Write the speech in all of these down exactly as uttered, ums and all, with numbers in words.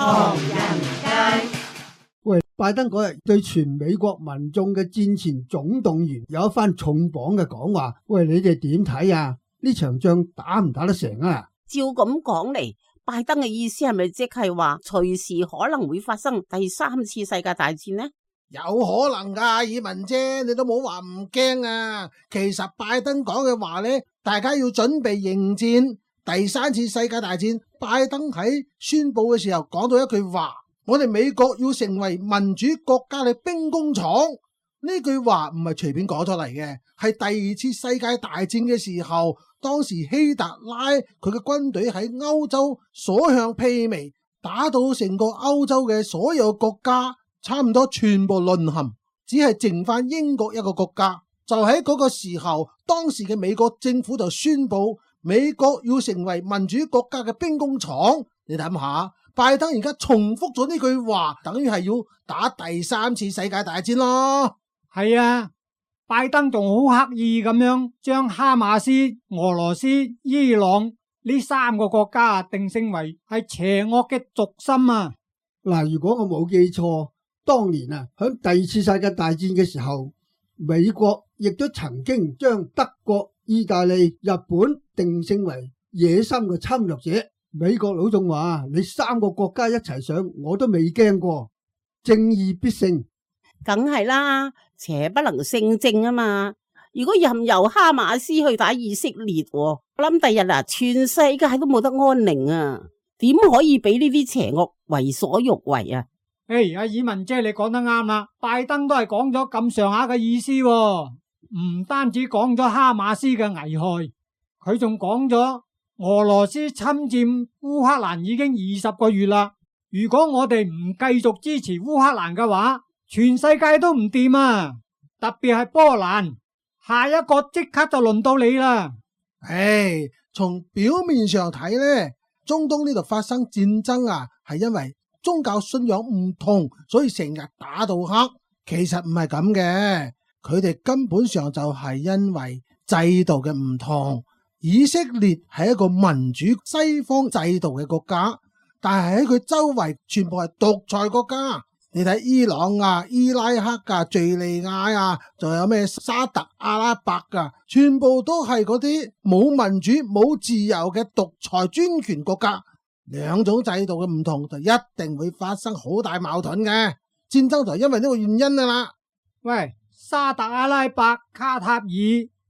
唐人街。喂，拜登嗰日對全美國民眾嘅戰前總動員有一番重磅嘅講話，喂，你哋點睇啊？呢場仗打唔打得成啊？照咁講嚟，拜登嘅意思係咪即係話隨時可能會發生第三次世界大戰呢？有可能噶，以文姐，你都冇話唔驚啊。其實拜登講嘅話呢，大家要準備迎戰第三次世界大戰。拜登喺宣布嘅時候講到一句話，我哋美國要成為民主國家嘅兵工廠。呢句話唔係隨便講出嚟嘅，係第二次世界大戰嘅時候，當時希特拉佢嘅軍隊喺歐洲所向披靡，打到成個歐洲嘅所有國家差唔多全部淪陷，只係剩翻英國一個國家。就喺嗰個時候，當時嘅美國政府就宣布美國要成為民主國家嘅兵工廠。你諗下，拜登而家重複咗呢句話，等於係要打第三次世界大戰咯。係啊，拜登仲好刻意咁樣將哈馬斯、俄羅斯、伊朗呢三個國家定性為係邪惡嘅軸心啊。嗱，如果我冇記錯，當年啊喺第二次世界大戰嘅時候，美國亦都曾經將德國、意大利、日本定性為野心嘅侵略者。美國佬仲話，你三個國家一齊上，我都未驚過，正義必勝。梗係啦，邪不能勝正啊嘛！如果任由哈馬斯去打以色列，我諗第日啊，全世界都冇得安寧啊！點可以俾呢啲邪惡為所欲為啊？誒，阿爾文姐，你講得啱啦，拜登都係講咗咁上下嘅意思喎，唔單止講咗哈馬斯嘅危害，佢仲講咗俄羅斯侵佔烏克蘭已經二十個月啦。如果我哋唔繼續支持烏克蘭嘅話，全世界都唔掂啊！特別係波蘭，下一個即刻就輪到你啦。唉，從表面上睇呢，中東呢度發生戰爭啊，係因為宗教信仰唔同，所以成日打到黑。其實唔係咁嘅，佢哋根本上就係因為制度嘅唔同。以色列係一個民主西方制度嘅國家，但係喺佢周圍全部係獨裁國家。你睇伊朗啊、伊拉克啊、敘利亞啊，仲有咩沙特阿拉伯啊，全部都係嗰啲冇民主、冇自由嘅獨裁專權國家。兩種制度嘅唔同，就一定會發生好大矛盾嘅戰爭，就係因為呢個原因㗎啦。喂，沙特阿拉伯、卡塔爾、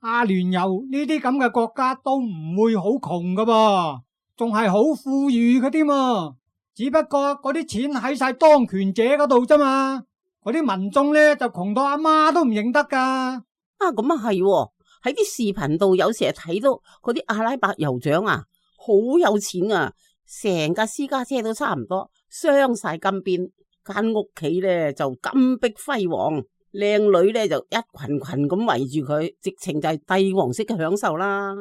阿聯酋呢啲咁嘅國家都唔會好窮㗎噃，仲係好富裕嘅添啊！只不過嗰啲錢喺晒當權者嗰度啫嘛，嗰啲民眾咧就窮到阿媽都唔認得噶。啊，咁啊係喎，喺啲視頻度有時係睇到嗰啲阿拉伯酋長啊，好有錢啊，成架私家車都差唔多鑲晒金邊，間屋企咧就金碧輝煌，靚女咧就一群群咁圍住佢，直情就係帝王式嘅享受啦。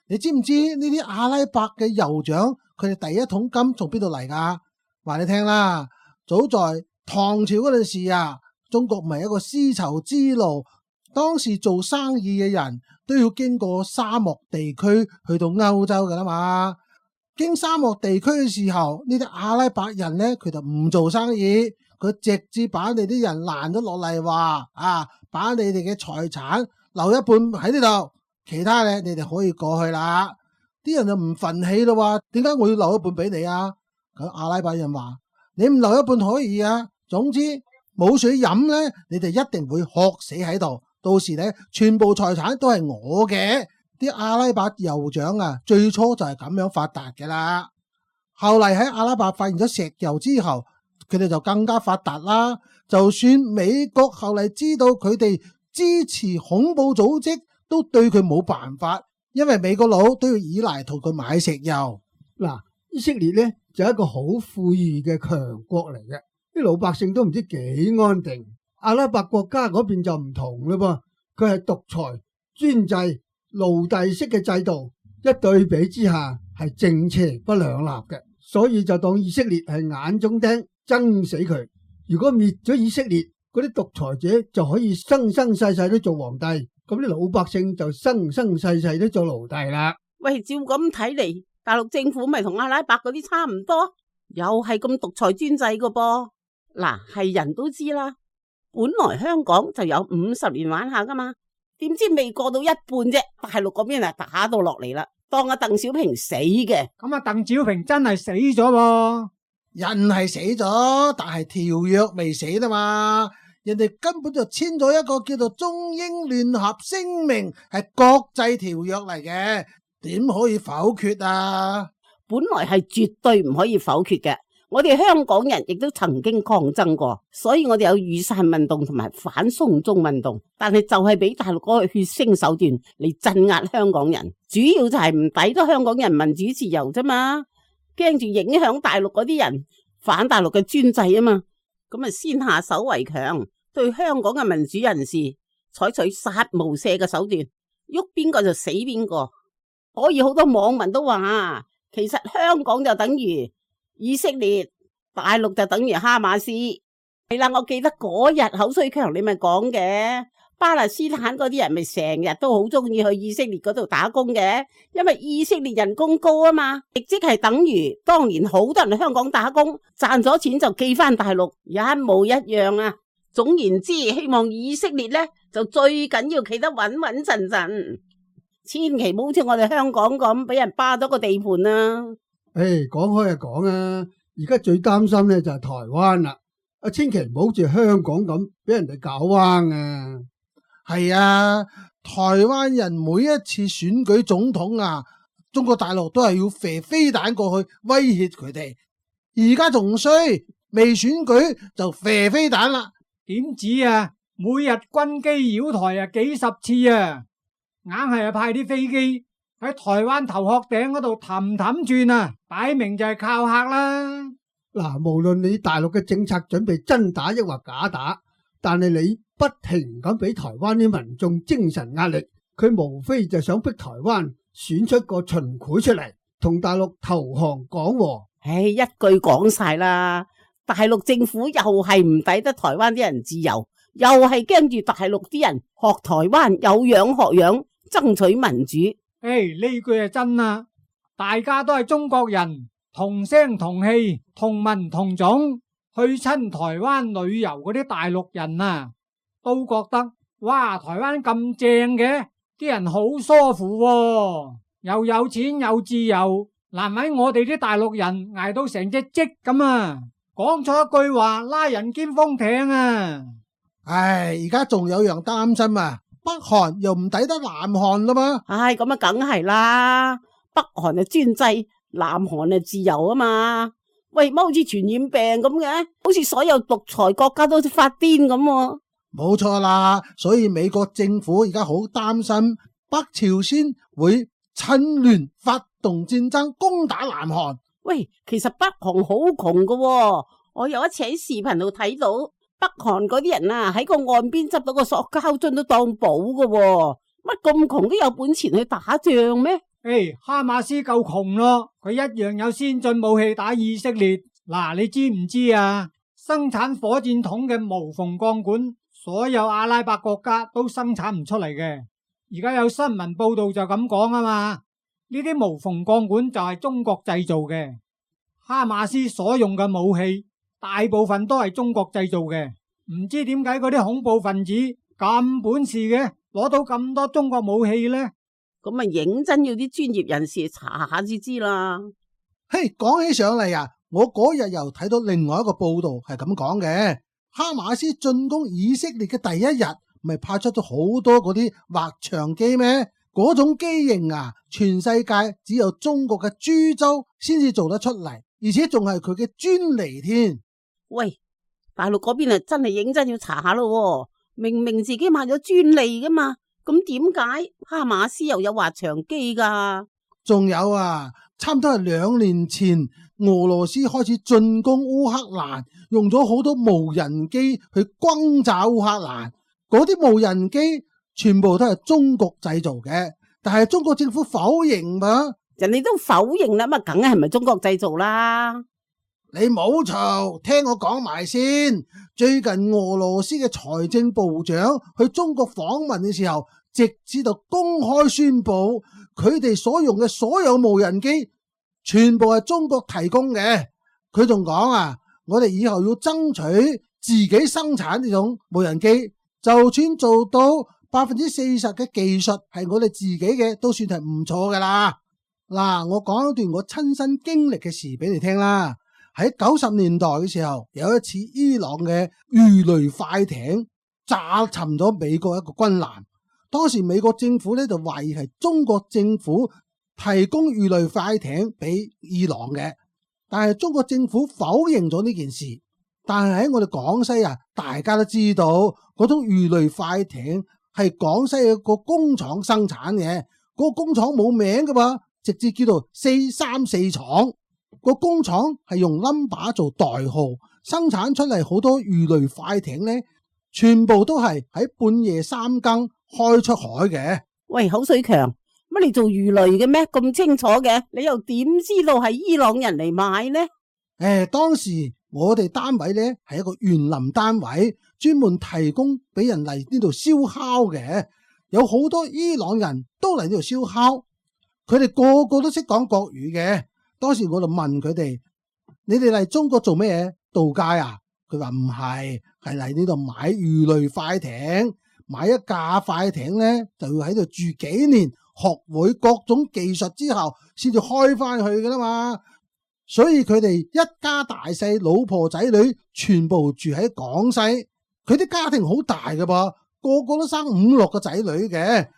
你知唔知呢啲阿拉伯嘅酋長佢哋第一桶金從邊度嚟噶？話你聽啦，早在唐朝嗰陣時啊，中國唔係一個絲綢之路，當時做生意嘅人都要經過沙漠地區去到歐洲噶啦嘛。經沙漠地區嘅時候，呢啲阿拉伯人呢，佢就唔做生意，佢直接把你啲人攔咗落嚟，話啊，把你哋嘅財產留一半喺呢度。其他咧，你哋可以過去啦。啲人就唔忿氣咯，話點解我要留一半俾你啊？咁阿拉伯人話：你唔留一半可以啊，總之冇水飲咧，你哋一定會渴死喺度。到時咧，全部財產都係我嘅。啲阿拉伯酋長啊，最初就係咁樣發達嘅啦。後嚟喺阿拉伯發現咗石油之後，佢哋就更加發達啦。就算美國後嚟知道佢哋支持恐怖組織，都對佢冇辦法，因為美國佬都要依賴同佢買石油。嗱，以色列咧就係一個好富裕嘅強國嚟嘅，啲老百姓都唔知幾安定。阿拉伯國家嗰邊就唔同嘞噃，佢係獨裁、專制、奴隸式嘅制度，一對比之下係正邪不兩立嘅，所以就當以色列係眼中釘，憎死佢。如果滅咗以色列，嗰啲獨裁者就可以生生世世都做皇帝。咁啲老百姓就生生世世都做奴隸啦。喂，照咁睇嚟，大陸政府咪同阿拉伯嗰啲差唔多？又係咁獨裁專制噶噃。嗱，係人都知啦，本來香港就有五十年玩下噶嘛，點知未過到一半啫，大陸嗰邊啊打到落嚟啦，當阿鄧小平死嘅。咁啊，鄧小平真係死咗喎。人係死咗，但係條約未死啊嘛。人哋根本就簽咗一個叫做中英聯合聲明，係國際條約嚟嘅，點可以否決啊？本來係絕對唔可以否決嘅。我哋香港人亦都曾經抗爭過，所以我哋有雨傘運動同埋反送中運動，但係就係俾大陸嗰個血腥手段嚟鎮壓香港人，主要就係唔抵得香港人民主自由啫嘛，驚住影響大陸嗰啲人反大陸嘅專制啊嘛。咁啊，先下手為強，對香港嘅民主人士採取殺無赦嘅手段，喐邊個就死邊個。所以好多網民都話，其實香港就等於以色列，大陸就等於哈馬斯。係啦，我記得嗰日口水強你咪講嘅，巴勒斯坦嗰啲人咪成日都好中意去以色列嗰度打工嘅，因為以色列人工高啊嘛，亦即係等於當年好多人去香港打工，賺咗錢就寄翻大陸，一模一樣啊。總言之，希望以色列呢就最緊要企得穩穩陣陣，千祈唔好似我哋香港咁俾人霸咗個地盤啊。誒，講開就講啊，而家最擔心咧就係台灣啦，啊，千祈唔好似香港咁俾人哋搞彎啊。係啊，台灣人每一次選舉總統啊，中國大陸都係要射飛彈過去威脅佢哋。而家仲衰，未選舉就射飛彈啦。點止啊？每日軍機繞台啊幾十次啊，硬係啊派啲飛機喺台灣頭殼頂嗰度氹氹轉啊，擺明就係靠客啦。嗱，無論你大陸嘅政策準備真打抑或假打，但係你不停咁俾台灣啲民眾精神壓力，佢無非就想逼台灣選出個秦檜出嚟，同大陸投降講和。唉，一句講晒啦，大陸政府又係唔抵得台灣啲人自由，又係驚住大陸啲人學台灣有樣學樣，爭取民主。誒，呢句係真啊！大家都係中國人，同聲同氣，同文同種，去親台灣旅遊嗰啲大陸人啊，都覺得哇，台灣咁正嘅，啲人好舒服喎，又有錢又自由，難為我哋啲大陸人捱到成隻積咁啊！講錯一句話，拉人兼封艇啊！唉，而家仲有樣擔心啊！北韓又唔抵得南韓啦嘛？唉，咁啊，梗係啦，北韓係專制，南韓係自由啊嘛。喂，乜好似傳染病咁嘅，好似所有獨裁國家都發癲咁。冇錯啦，所以美國政府而家好擔心北朝鮮會趁亂發動戰爭攻打南韓。喂，其實北韓好窮噶喎，我有一次喺視頻度睇到。北韓嗰啲人啊，喺個岸邊執到個塑膠樽都當寶噶喎，乜咁窮都有本錢去打仗咩？誒，哈馬斯夠窮咯，佢一樣有先進武器打以色列。嗱，你知唔知啊？生產火箭筒嘅無縫鋼管，所有阿拉伯國家都生產唔出嚟嘅。而家有新聞報道就咁講啊嘛，呢啲無縫鋼管就係中國製造嘅。哈馬斯所用嘅武器，大部分都係中國製造嘅，唔知點解嗰啲恐怖分子咁本事嘅，攞到咁多中國武器呢？咁啊，認真要啲專業人士查下先知啦。嘿，講起上嚟啊，我嗰日又睇到另外一個報道係咁講嘅，哈馬斯進攻以色列嘅第一日，咪派出咗好多嗰啲滑翔機咩？嗰種機型啊，全世界只有中國嘅株洲先至做得出嚟，而且仲係佢嘅專利添。喂，大陸嗰邊啊，真係認真要查下咯。明明自己買咗專利噶嘛，咁點解哈馬斯又有滑翔機噶？仲有啊，差唔多係兩年前，俄羅斯開始進攻烏克蘭，用咗好多無人機去轟炸烏克蘭。嗰啲無人機全部都係中國製造嘅，但係中國政府否認嘛。人哋都否認啦，咁梗係唔係中國製造啦？你冇嘈，聽我講埋先。最近俄羅斯嘅財政部長去中國訪問嘅時候，直接就公開宣布，佢哋所用嘅所有無人機全部係中國提供嘅。佢仲講啊，我哋以後要爭取自己生產呢種無人機，就算做到百分之四十嘅技術係我哋自己嘅，都算係唔錯噶啦。嗱，我講一段我親身經歷嘅事俾你聽啦。喺九十年代嘅時候，有一次伊朗嘅魚雷快艇炸沉咗美國一個軍艦。當時美國政府咧就懷疑係中國政府提供魚雷快艇俾伊朗嘅，但係中國政府否認咗呢件事。但係喺我哋廣西啊，大家都知道嗰種魚雷快艇係廣西一個工廠生產嘅，嗰個工廠冇名噶噃，直接叫做四三四廠。個工廠係用 number 做代號，生產出嚟好多魚雷快艇咧，全部都係喺半夜三更開出海嘅。喂，口水強，乜你做魚雷嘅咩？咁清楚嘅，你又點知道係伊朗人嚟買呢？誒，當時我哋單位咧係一個園林單位，專門提供俾人嚟呢度燒烤嘅，有好多伊朗人都嚟呢度燒烤，佢哋個個都識講國語嘅。當時我就問佢哋：你哋嚟中國做咩嘢？度假啊？佢話唔係，係嚟呢度買魚雷快艇，買一架快艇咧就要喺度住幾年，學會各種技術之後，先至開翻去噶啦嘛。所以佢哋一家大細，老婆仔女全部住喺廣西，佢啲家庭好大㗎噃，個個都生五六個仔女嘅，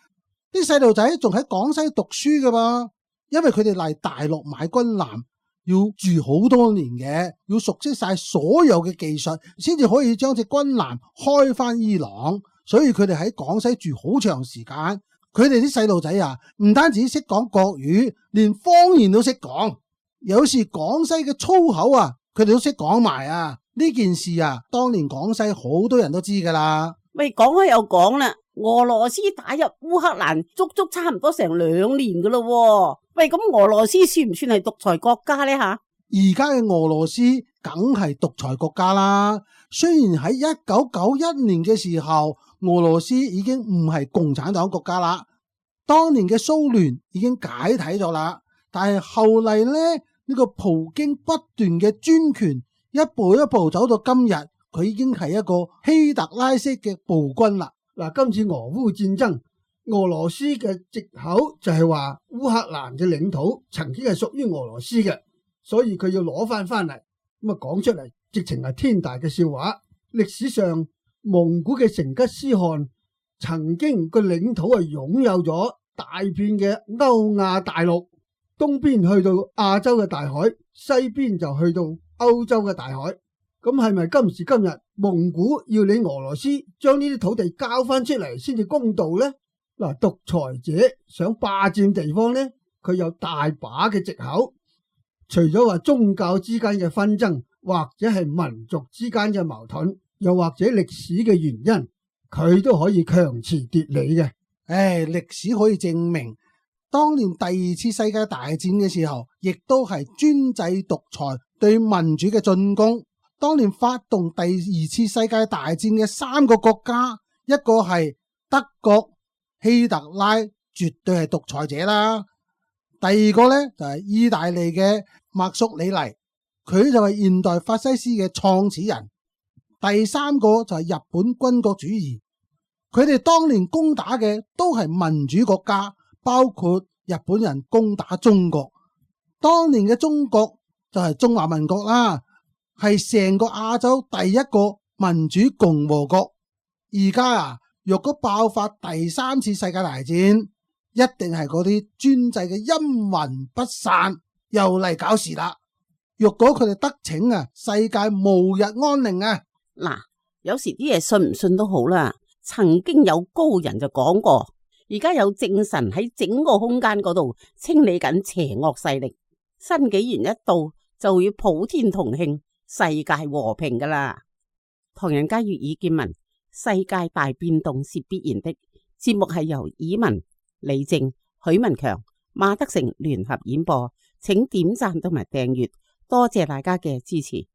啲細路仔仲喺廣西讀書㗎噃。因為佢哋嚟大陸買軍艦要住好多年嘅，要熟悉晒所有嘅技術，先至可以將隻軍艦開翻伊朗。所以佢哋喺廣西住好長時間。佢哋啲細路仔啊，唔單止識講國語，連方言都識講。有時廣西嘅粗口啊，佢哋都識講埋啊。呢件事啊，當年廣西好多人都知噶啦。喂，講開又講啦，俄羅斯打入烏克蘭足足差唔多成兩年噶咯。喂，咁俄羅斯算唔算係獨裁國家呢？吓，而家嘅俄羅斯梗係獨裁國家啦。雖然喺一九九一年嘅時候，俄羅斯已經唔係共產黨國家啦，當年嘅蘇聯已經解體咗啦。但係後嚟咧，呢個普京不斷嘅專權，一步一步走到今日，佢已經係一個希特拉式嘅暴君啦。嗱，今次俄烏戰爭，俄羅斯嘅藉口就係話烏克蘭嘅領土曾經係屬於俄羅斯嘅，所以佢要攞翻翻嚟。咁啊講出嚟，直情係天大嘅笑話。歷史上蒙古嘅成吉思汗曾經個領土係擁有咗大片嘅歐亞大陸，東邊去到亞洲嘅大海，西邊就去到歐洲嘅大海。咁係咪今時今日蒙古要你俄羅斯將呢啲土地交翻出嚟先至公道呢？嗱，獨裁者想霸佔地方呢，佢有大把嘅藉口，除咗話宗教之間嘅紛爭，或者係民族之間嘅矛盾，又或者歷史嘅原因，佢都可以強詞奪理嘅。唉，歷史可以證明，當年第二次世界大戰嘅時候，亦都係專制獨裁對民主嘅進攻。當年發動第二次世界大戰嘅三個國家，一個係德國，希特拉絕對係獨裁者啦。第二個呢，就係意大利嘅墨索里尼，佢就係現代法西斯嘅創始人。第三個就係日本軍國主義，佢哋當年攻打嘅都係民主國家，包括日本人攻打中國。當年嘅中國就係中華民國啦，係成個亞洲第一個民主共和國。而家啊，若果爆發第三次世界大戰，一定係嗰啲專制嘅陰魂不散，又嚟搞事啦。若果佢哋得逞啊，世界無日安寧啊！嗱，有時啲嘢信唔信都好啦。曾經有高人就講過，而家有正神喺整個空間嗰度清理緊邪惡勢力。新紀元一到，就會普天同慶，世界和平噶啦。唐人街粵語見聞，世界大變動是必然的。節目係由以文、李正、許文強、馬德成聯合演播，請點讚同埋訂閱，多謝大家嘅支持。